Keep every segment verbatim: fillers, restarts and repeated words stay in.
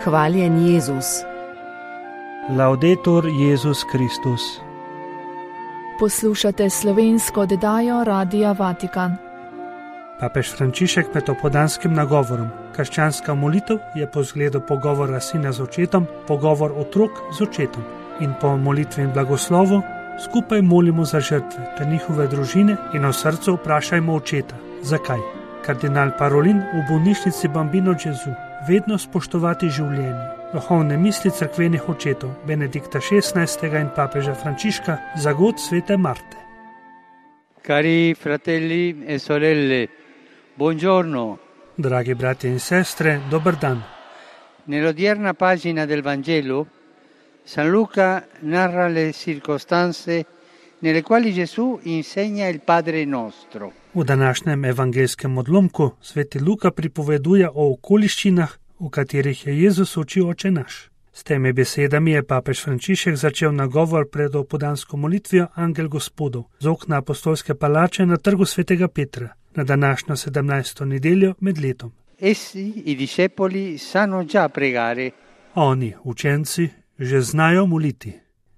Hvaljen Jezus. Laudetur Jezus Kristus. Poslušate slovensko oddajo Radia Vatikan. Papež Frančišek med opoldanskim nagovorom. Krščanska molitev je po zgledu pogovora sina z očetom, pogovor otrok z očetom. In po molitvi in blagoslovu skupaj molimo za žrtve ter njihove družine in v srcu vprašajmo očeta. Zakaj? Kardinal Parolin v bolnišnici Bambino Gesù. Vedno spoštovati življenje. Duhovne misli cerkvenih očetov Benedikta šestnajstega in papeža Frančiška za god svete Marte. Cari fratelli e sorelle, buongiorno. Dragi brati in sestre, dober dan. Nell'odierna pagina del Vangelo, San Luca narra le circostanze nelle quali Gesù insegna il Padre Nostro. V današnjem evangelskem odlomku sveti Luka pripoveduje o okoliščinah, v katerih je Jezus učil Oče naš. S temi besedami je papež Frančišek začel nagovor pred opoldansko molitvijo Angel Gospodov z okna apostolske palače na trgu svetega Petra na današnjo sedemnajsto nedeljo med letom. Essi, i discepoli, sanno già pregare. Oni, učenci, že znajo moliti,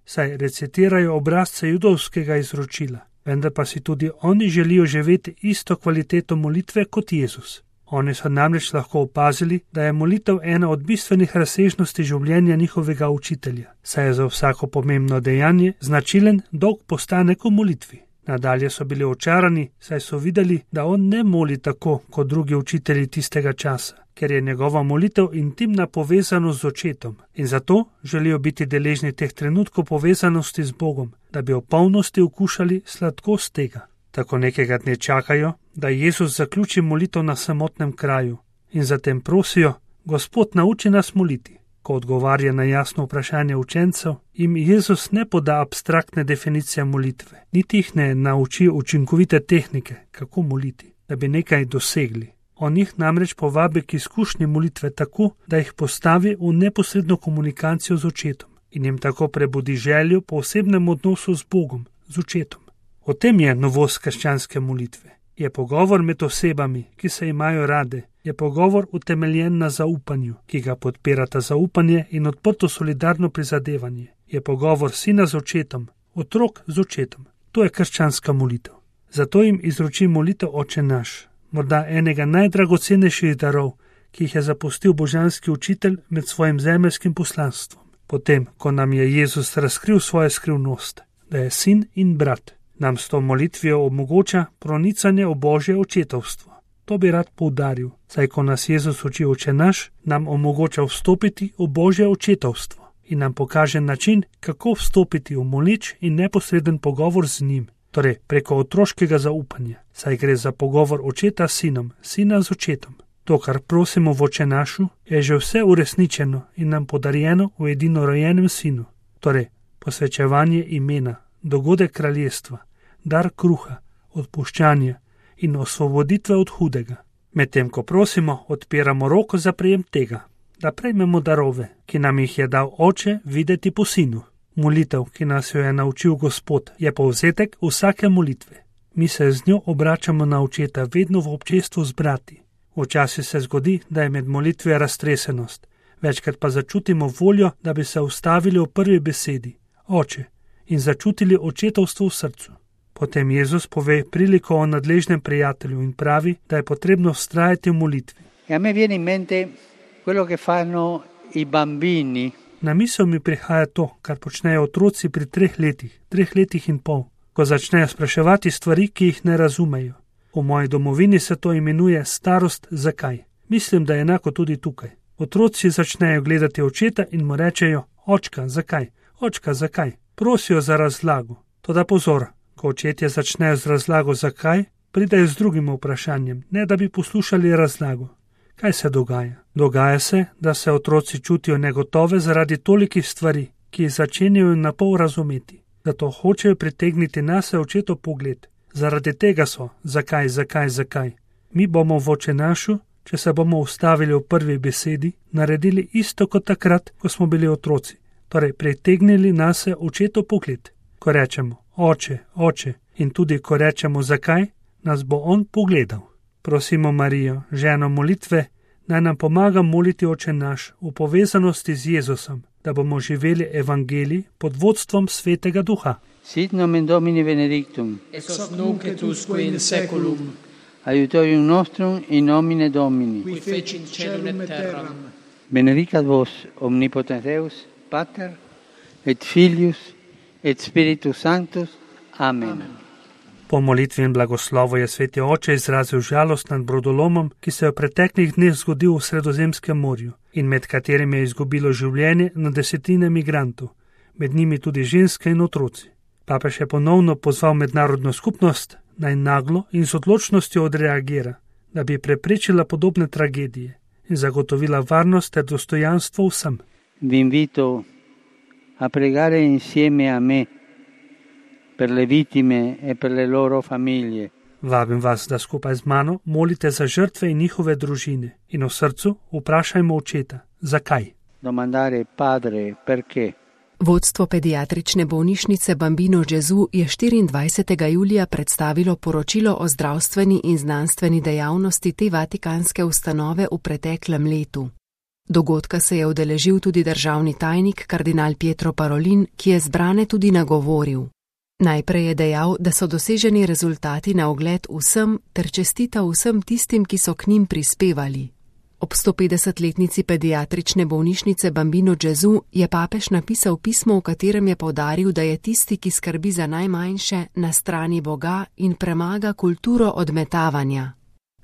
saj recitirajo obrazce judovskega izročila, vendar pa si tudi oni želijo živeti isto kvaliteto molitve kot Jezus. Oni so namreč lahko opazili, da je molitev ena od bistvenih razsežnosti življenja njihovega učitelja, saj je za vsako pomembno dejanje značilen dolg postanek v molitvi. Nadalje so bili očarani, saj so videli, da on ne moli tako kot drugi učitelji tistega časa, ker je njegova molitev intimna povezanost z očetom in zato želijo biti deležni teh trenutkov povezanosti z Bogom, da bi v polnosti okušali sladkost tega. Tako nekega dne čakajo, da Jezus zaključi molitev na samotnem kraju in zatem prosijo: Gospod, nauči nas moliti. Ko odgovarja na jasno vprašanje učencev, jim Jezus ne poda abstraktne definicije molitve, niti jih ne nauči učinkovite tehnike, kako moliti, da bi nekaj dosegli. On jih namreč povabi k izkušnji molitve tako, da jih postavi v neposredno komunikacijo z očetom in jim tako prebudi željo po osebnem odnosu z Bogom, z očetom. O tem je novost krščanske molitve. Je pogovor med osebami, ki se imajo rade, je pogovor utemeljen na zaupanju, ki ga podpirata zaupanje in odprto solidarno prizadevanje. Je pogovor sina z očetom, otrok z očetom. To je krščanska molitev. Zato jim izroči molitev Oče naš, morda enega najdragocenejših darov, ki jih je zapustil božanski učitelj med svojim zemeljskim poslanstvom. Potem, ko nam je Jezus razkril svojo skrivnost, da je sin in brat, nam s to molitvijo omogoča pronicanje v Božje očetovstvo. To bi rad poudaril, saj ko nas Jezus uči Oče naš, nam omogoča vstopiti v Božje očetovstvo in nam pokaže način, kako vstopiti v moleč in neposreden pogovor z njim, torej preko otroškega zaupanja, saj gre za pogovor očeta s sinom, sina z očetom. To, kar prosimo v Oče našu, je že vse uresničeno in nam podarjeno v edinorojenem sinu, torej posvečevanje imena, dogodek kraljestva, dar kruha, odpuščanja in osvoboditve od hudega. Medtem ko prosimo, odpiramo roko za prejem tega, da prejmemo darove, ki nam jih je dal Oče videti po sinu. Molitev, ki nas jo je naučil Gospod, je povzetek vsake molitve. Mi se z njo obračamo na očeta vedno v občestvu z brati. Včasih se zgodi, da je med molitvijo raztresenost, večkrat pa začutimo voljo, da bi se ustavili v prvi besedi, Oče, in začutili očetovstvo v srcu. Potem Jezus pove priliko o nadležnem prijatelju in pravi, da je potrebno vztrajati v molitvi. E a me viene in mente quello che fanno i bambini. Na misel mi prihaja to, kar počnejo otroci pri treh letih, treh letih in pol, ko začnejo spraševati stvari, ki jih ne razumejo. V moji domovini se to imenuje starost zakaj. Mislim, da je enako tudi tukaj. Otroci začnejo gledati očeta in mu rečejo: Očka, zakaj? Očka, zakaj? Prosijo za razlago. Toda pozor, ko očetje začnejo z razlago zakaj, pridejo z drugim vprašanjem, ne da bi poslušali razlago. Kaj se dogaja? Dogaja se, da se otroci čutijo negotove zaradi tolikih stvari, ki jih začenjajo napol razumeti. Zato hočejo pritegniti nase očetov pogled. Zaradi tega so zakaj, zakaj, zakaj. Mi bomo v Oče našu, če se bomo ustavili v prvi besedi, naredili isto kot takrat, ko smo bili otroci. Torej, pritegnili nase očetov pogled. Ko rečemo Oče, Oče in tudi ko rečemo zakaj, nas bo on pogledal. Prosimo Marijo, ženo molitve, naj nam pomaga moliti Oče naš v povezanosti z Jezusom, da bomo živeli evangelij pod vodstvom Svetega Duha. Sit nomen Domini benedictum, ex hoc nunc et usque in seculum, aiutorium nostrum in nomine Domini, qui fecit caelum et terram. Benedicat vos omnipotens Deus, Pater, et Filius, et Spiritus Sanctus. Amen. Amen. Po molitvi in blagoslovu je Sveti Oče izrazil žalost nad brodolomom, ki se je v preteklih dneh zgodil v Sredozemskem morju in med katerim je izgubilo življenje na desetine migrantov, med njimi tudi ženske in otroci. Papež je ponovno pozval mednarodno skupnost, naj naglo in z odločnostjo odreagira, da bi preprečila podobne tragedije in zagotovila varnost ter dostojanstvo vsem. Vi invito a pregare insieme a me per le vittime e per le loro famiglie. Vabim vas, da skupaj z mano molite za žrtve in njihove družine in v srcu vprašajmo Očeta, zakaj. Domandare Padre perché. Vodstvo pediatrične bolnišnice Bambino Gesù je štiriindvajsetega julija predstavilo poročilo o zdravstveni in znanstveni dejavnosti te vatikanske ustanove v preteklem letu. Dogodka se je udeležil tudi državni tajnik kardinal Pietro Parolin, ki je zbrane tudi nagovoril. Najprej je dejal, da so doseženi rezultati na ogled vsem ter čestita vsem tistim, ki so k njim prispevali. Ob stopetdesetletnici pediatrične bolnišnice Bambino Gesù je papež napisal pismo, v katerem je poudaril, da je tisti, ki skrbi za najmanjše, na strani Boga in premaga kulturo odmetavanja.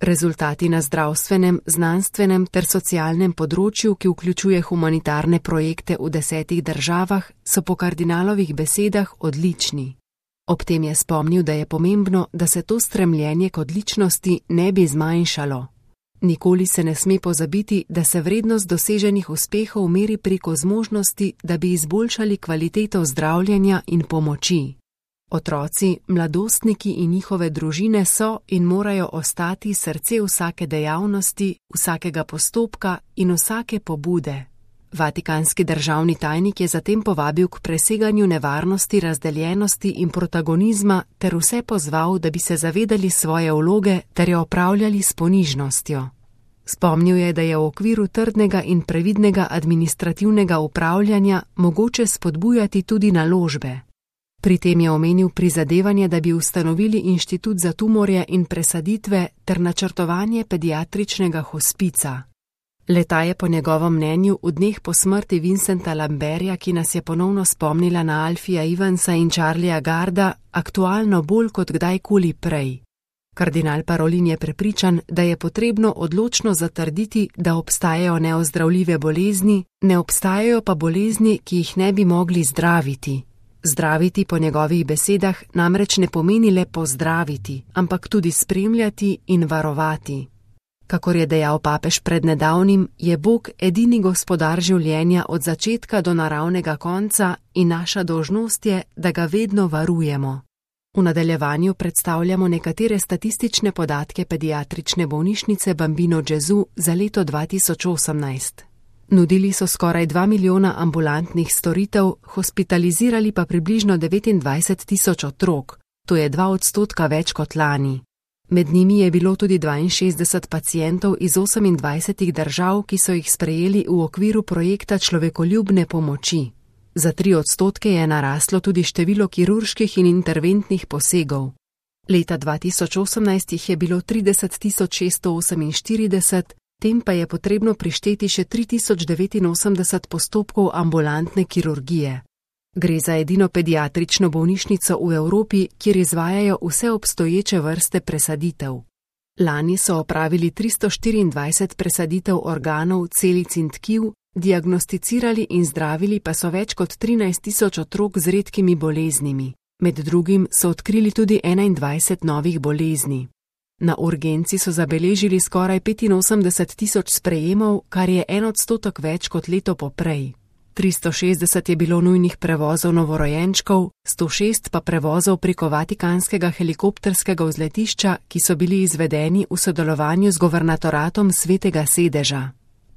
Rezultati na zdravstvenem, znanstvenem ter socialnem področju, ki vključuje humanitarne projekte v desetih državah, so po kardinalovih besedah odlični. Ob tem je spomnil, da je pomembno, da se to stremljenje k odličnosti ne bi zmanjšalo. Nikoli se ne sme pozabiti, da se vrednost doseženih uspehov meri preko zmožnosti, da bi izboljšali kvaliteto zdravljenja in pomoči. Otroci, mladostniki in njihove družine so in morajo ostati srce vsake dejavnosti, vsakega postopka in vsake pobude. Vatikanski državni tajnik je zatem povabil k preseganju nevarnosti, razdeljenosti in protagonizma ter vse pozval, da bi se zavedali svoje vloge ter jo opravljali s ponižnostjo. Spomnil je, da je v okviru trdnega in previdnega administrativnega upravljanja mogoče spodbujati tudi naložbe. Pri tem je omenil prizadevanje, da bi ustanovili inštitut za tumorje in presaditve ter načrtovanje pediatričnega hospica. Leta je po njegovem mnenju v dneh po smrti Vincenta Lamberja, ki nas je ponovno spomnila na Alfija Ivansa in Charlieja Garda, aktualno bolj kot kdajkoli prej. Kardinal Parolin je prepričan, da je potrebno odločno zatrditi, da obstajajo neozdravljive bolezni, ne obstajajo pa bolezni, ki jih ne bi mogli zdraviti. Zdraviti po njegovih besedah namreč ne pomeni le pozdraviti, ampak tudi spremljati in varovati. Kakor je dejal papež pred nedavnim, je Bog edini gospodar življenja od začetka do naravnega konca in naša dolžnost je, da ga vedno varujemo. V nadaljevanju predstavljamo nekatere statistične podatke pediatrične bolnišnice Bambino Gesù za leto dva tisoč osemnajst. Nudili so skoraj dva milijona ambulantnih storitev, hospitalizirali pa približno devetindvajset tisoč otrok, to je dva odstotka več kot lani. Med njimi je bilo tudi dvainšestdeset pacientov iz osemindvajsetih držav, ki so jih sprejeli v okviru projekta človekoljubne pomoči. Za tri odstotke je naraslo tudi število kirurških in interventnih posegov. Leta dva tisoč osemnajst jih je bilo trideset tisoč šeststo oseminštirideset, tem pa je potrebno prišteti še tri tisoč devetinosemdeset postopkov ambulantne kirurgije. Gre za edino pediatrično bolnišnico v Evropi, kjer izvajajo vse obstoječe vrste presaditev. Lani so opravili tristo štiriindvajset presaditev organov, celic in tkiv, diagnosticirali in zdravili pa so več kot trinajst tisoč otrok z redkimi boleznimi. Med drugim so odkrili tudi enaindvajset novih bolezni. Na urgenci so zabeležili skoraj petinosemdeset tisoč sprejemov, kar je en odstotek več kot leto poprej. tristo šestdeset je bilo nujnih prevozov novorojenčkov, sto šest pa prevozov preko vatikanskega helikopterskega vzletišča, ki so bili izvedeni v sodelovanju z governatoratom Svetega sedeža.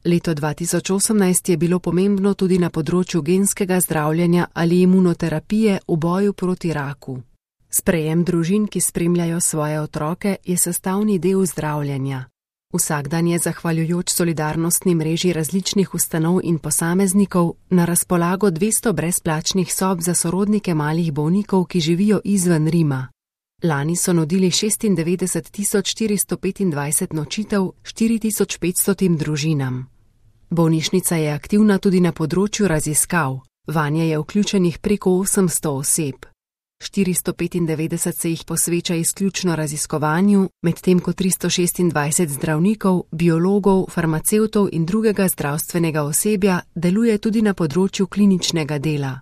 Leto dva tisoč osemnajst je bilo pomembno tudi na področju genskega zdravljenja ali imunoterapije v boju proti raku. Sprejem družin, ki spremljajo svoje otroke, je sestavni del zdravljenja. Vsak dan je zahvaljujoč solidarnostni mreži različnih ustanov in posameznikov na razpolago dvesto brezplačnih sob za sorodnike malih bolnikov, ki živijo izven Rima. Lani so nudili šestindevetdeset tisoč štiristo petindvajset nočitev štiri tisoč petsto družinam. Bolnišnica je aktivna tudi na področju raziskav. Vanje je vključenih preko osemsto oseb. štiristo petindevetdeset se jih posveča izključno raziskovanju, medtem ko tristo šestindvajset zdravnikov, biologov, farmacevtov in drugega zdravstvenega osebja deluje tudi na področju kliničnega dela.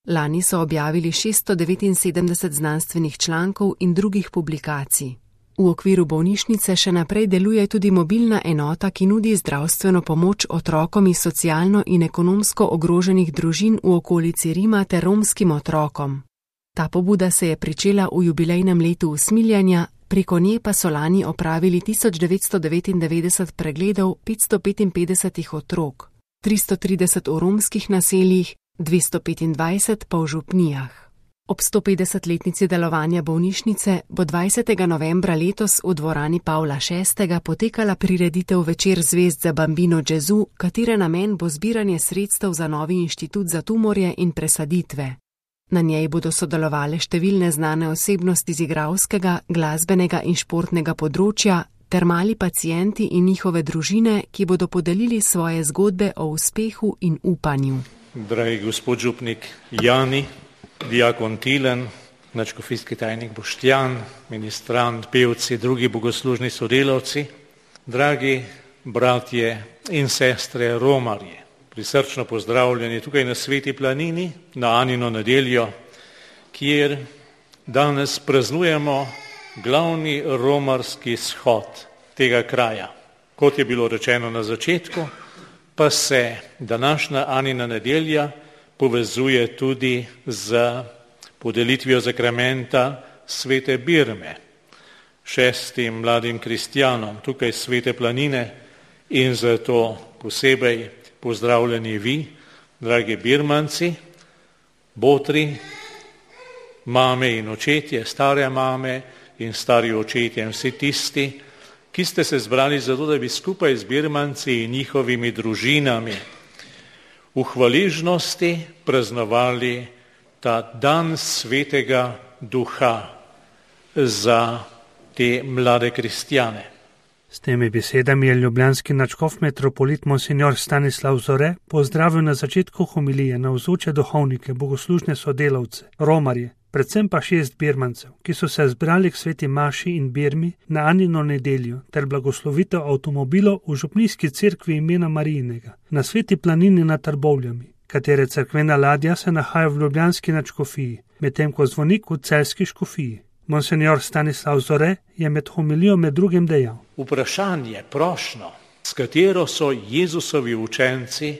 Lani so objavili šeststo devetinsedemdeset znanstvenih člankov in drugih publikacij. V okviru bolnišnice še naprej deluje tudi mobilna enota, ki nudi zdravstveno pomoč otrokom iz socialno in ekonomsko ogroženih družin v okolici Rima ter romskim otrokom. Ta pobuda se je pričela v jubilejnem letu usmiljanja, preko nje pa so lani opravili tisoč devetsto devetindevetdeset pregledov petsto petinpetdeset otrok, tristo trideset v romskih naseljih, dvesto petindvajset pa v župnijah. Ob stopetdesetletnici delovanja bolnišnice bo dvajsetega novembra letos v dvorani Pavla šestega potekala prireditev Večer zvezd za Bambino Gesù, katere namen bo zbiranje sredstev za novi inštitut za tumorje in presaditve. Na njej bodo sodelovale številne znane osebnosti z igralskega, glasbenega in športnega področja ter mali pacienti in njihove družine, ki bodo podelili svoje zgodbe o uspehu in upanju. Dragi gospod župnik Jani, diakon Tilen, nadškofijski tajnik Boštjan, ministrant, pevci, drugi bogoslužni sodelavci, dragi bratje in sestre romarji, prisrčno pozdravljeni tukaj na Sveti planini, na Anino nedeljo, kjer danes praznujemo glavni romarski shod tega kraja. Kot je bilo rečeno na začetku, pa se današnja Anina nedelja povezuje tudi z podelitvijo zakramenta svete Birme, šestim mladim kristjanom tukaj Svete planine, in zato posebej pozdravljeni vi, dragi birmanci, botri, mame in očetje, stare mame in stari očetje in vsi tisti, ki ste se zbrali zato, da bi skupaj z birmanci in njihovimi družinami v hvaležnosti praznovali ta dan svetega duha za te mlade kristjane. S temi besedami je ljubljanski nadškof metropolit monsignor Stanislav Zore pozdravil na začetku homilije navzoče duhovnike, bogoslužne sodelavce, romarje, predvsem pa šest birmancev, ki so se zbrali k sveti maši in birmi na Anino nedeljo ter blagoslovitev avtomobilov v župnijski cerkvi imena Marijinega na Sveti planini nad Trbovljami, katere cerkvena ladja se nahaja v ljubljanski nadškofiji, medtem ko zvonik v celjski škofiji. Monsignor Stanislav Zore je med homilijo med drugim dejal: Vprašanje, prošnjo, s katero so Jezusovi učenci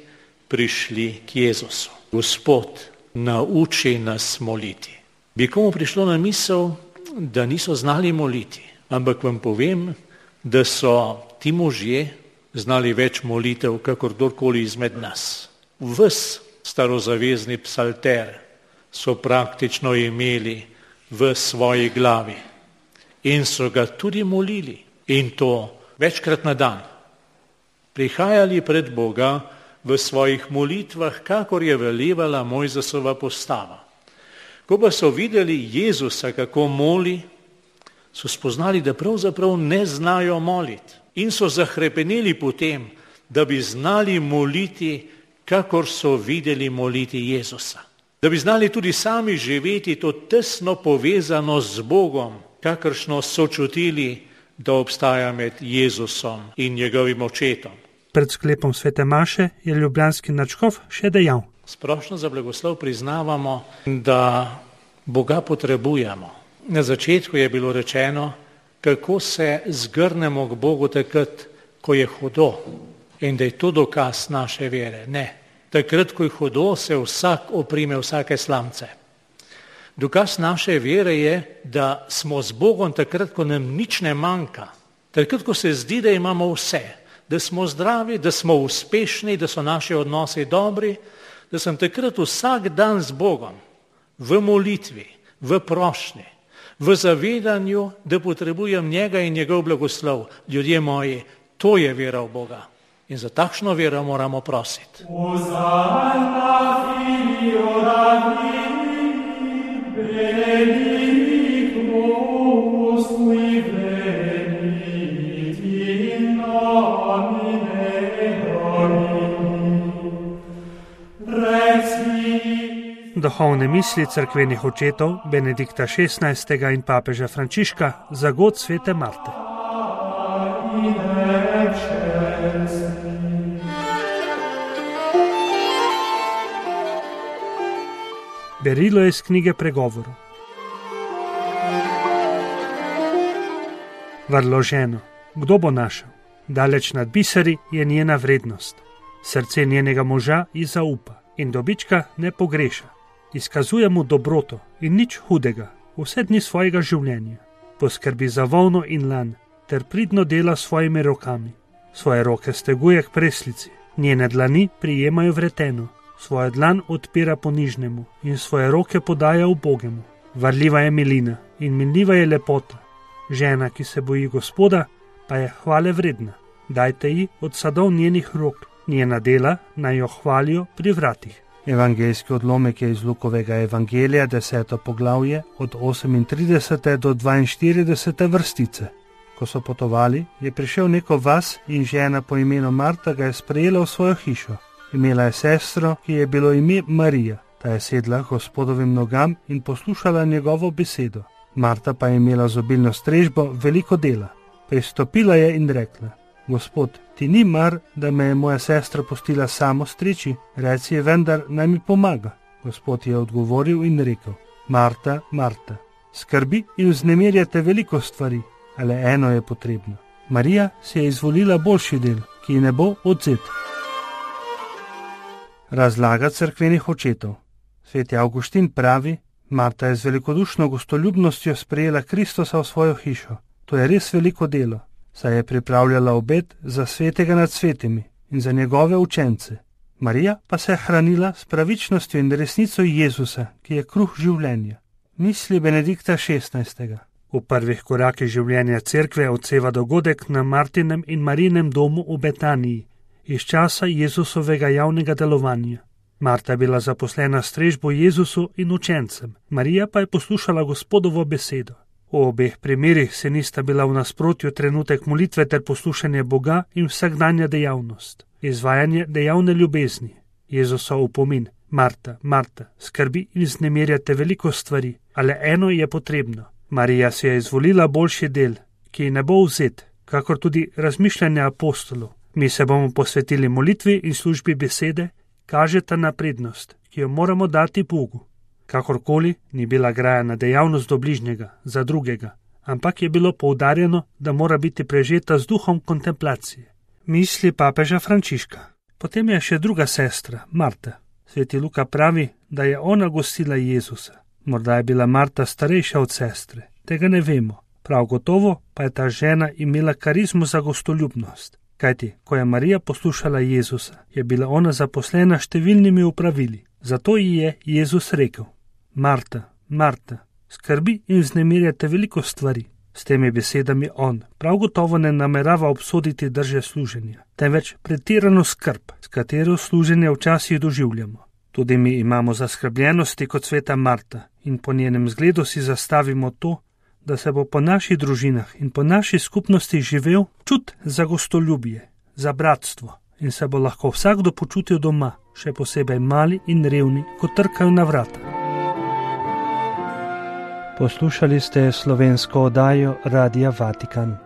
prišli k Jezusu. Gospod, nauči nas moliti. Bi komu prišlo na misel, da niso znali moliti, ampak vam povem, da so ti možje znali več molitev, kakor kdorkoli izmed nas. Ves starozavezni psalter so praktično imeli v svoji glavi in so ga tudi molili, in to večkrat na dan. Prihajali pred Boga v svojih molitvah, kakor je velevala Mojzesova postava. Ko pa so videli Jezusa, kako moli, so spoznali, da pravzaprav ne znajo moliti, in so zahrepeneli po tem, da bi znali moliti, kakor so videli moliti Jezusa. Da bi znali tudi sami živeti to tesno povezano z Bogom, kakršno so čutili, da obstaja med Jezusom in njegovim očetom. Pred sklepom svete maše je ljubljanski nadškof še dejal: Splošno za blagoslov priznavamo, da Boga potrebujemo. Na začetku je bilo rečeno, kako se zgrnemo k Bogu takrat, ko je hudo, in da je to dokaz naše vere. Ne. Takrat, ko je hudo, se vsak oprime vsake slamce. Dokaz naše vere je, da smo z Bogom takrat, ko nam nič ne manjka. Takrat, ko se zdi, da imamo vse. Da smo zdravi, da smo uspešni, da so naši odnosi dobri, da sem takrat vsak dan z Bogom, v molitvi, v prošnji, v zavedanju, da potrebujem njega in njegov blagoslov. Ljudje moji, To je vera v Boga. In za takšno vero moramo prositi. Duhovne misli cerkvenih očetov Benedikta šestnajstega in papeža Frančiška za god svete Marte. Berilo je iz knjige Pregovorov. Vrlo ženo, kdo bo našel? Daleč nad biseri je njena vrednost. Srce njenega moža ji zaupa in dobička ne pogreša. Izkazuje mu dobroto in nič hudega vse dni svojega življenja. Poskrbi za volno in lan ter pridno dela svojimi rokami. Svoje roke steguje k preslici, njene dlani prijemajo vreteno, svojo dlan odpira ponižnemu in svoje roke podaja ubogemu. Varljiva je milina in minljiva je lepota. Žena, ki se boji Gospoda, pa je hvale vredna. Dajte ji od sadov njenih rok, njena dela naj jo hvalijo pri vratih. Evangeljski odlomek je iz Lukovega evangelija, deseto poglavje, od osemintridesete do dvainštiridesete vrstice. Ko so potovali, je prišel neko vas in žena po imenu Marta ga je sprejela v svojo hišo. Imela je sestro, ki je bilo ime Marija. Ta je sedla Gospodovim nogam in poslušala njegovo besedo. Marta pa je imela z obilno strežbo veliko dela. Pristopila je in rekla: Gospod, ti ni mar, da me je moja sestra pustila samo streči, reci je vendar, naj mi pomaga. Gospod je odgovoril in rekel: Marta, Marta, skrbi in vznemirjate veliko stvari, ale eno je potrebno. Marija si je izvolila boljši del, ki ji ne bo odzet. Razlaga cerkvenih očetov. Sveti Avguštin pravi: Marta je z velikodušno gostoljubnostjo sprejela Kristusa v svojo hišo. To je res veliko delo, saj je pripravljala obed za svetega nad svetimi in za njegove učence. Marija pa se je hranila s pravičnostjo in resnico Jezusa, ki je kruh življenja. Misli Benedikta šestnajstega. V prvih korakih življenja cerkve odseva dogodek na Martinem in Marinem domu v Betaniji, iz časa Jezusovega javnega delovanja. Marta je bila zaposlena s strežbo Jezusu in učencem, Marija pa je poslušala Gospodovo besedo. V obeh primerih se nista bila v nasprotju trenutek molitve ter poslušanje Boga in vsakdanja dejavnost, izvajanje dejavne ljubezni. Jezusov opomin: Marta, Marta, skrbi in vznemirjate veliko stvari, ale eno je potrebno. Marija si je izvolila boljši del, ki ji ne bo vzet, kakor tudi razmišljanje apostolov. Mi se bomo posvetili molitvi in službi besede, kažeta na prednost, ki jo moramo dati Bogu. Kakorkoli ni bila grajena dejavnost do bližnjega, za drugega, ampak je bilo poudarjeno, da mora biti prežeta z duhom kontemplacije. Misli papeža Frančiška. Potem je še druga sestra, Marta. Sveti Luka pravi, da je ona gostila Jezusa. Morda je bila Marta starejša od sestre, tega ne vemo. Prav gotovo pa je ta žena imela karizmo za gostoljubnost. Kajti, ko je Marija poslušala Jezusa, je bila ona zaposlena številnimi upravili. Zato ji je Jezus rekel: Marta, Marta, skrbi in vznemirjate veliko stvari. S temi besedami on prav gotovo ne namerava obsoditi drže služenja, temveč pretirano skrb, s katero služenje včasih doživljamo. Tudi mi imamo zaskrbljenosti kot sveta Marta in po njenem zgledu si zastavimo to, da se bo po naših družinah in po naši skupnosti živel čut za gostoljubje, za bratstvo in se bo lahko vsakdo počutil doma, še posebej mali in revni, ko trkajo na vrata. Poslušali ste slovensko oddajo Radia Vatikan.